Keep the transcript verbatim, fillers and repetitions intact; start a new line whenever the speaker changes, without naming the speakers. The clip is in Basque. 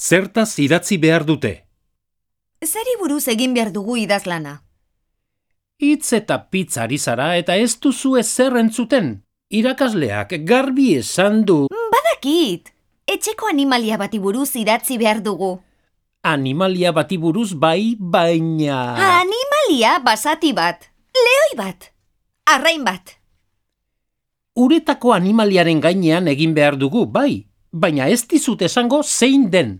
Zertaz idatzi behar dute?
Zeri buruz egin behar dugu idazlana?
Hitz eta pitz ari zara eta ez duzu ezer entzuten. Irakasleak garbi esan du...
Badakit! Etxeko animalia bati buruz idatzi behar dugu.
Animalia bati buruz bai, baina...
Animalia basati bat, lehoi bat, arrain bat.
Uretako animaliaren gainean egin behar dugu, bai, baina ez dizut esango zein den.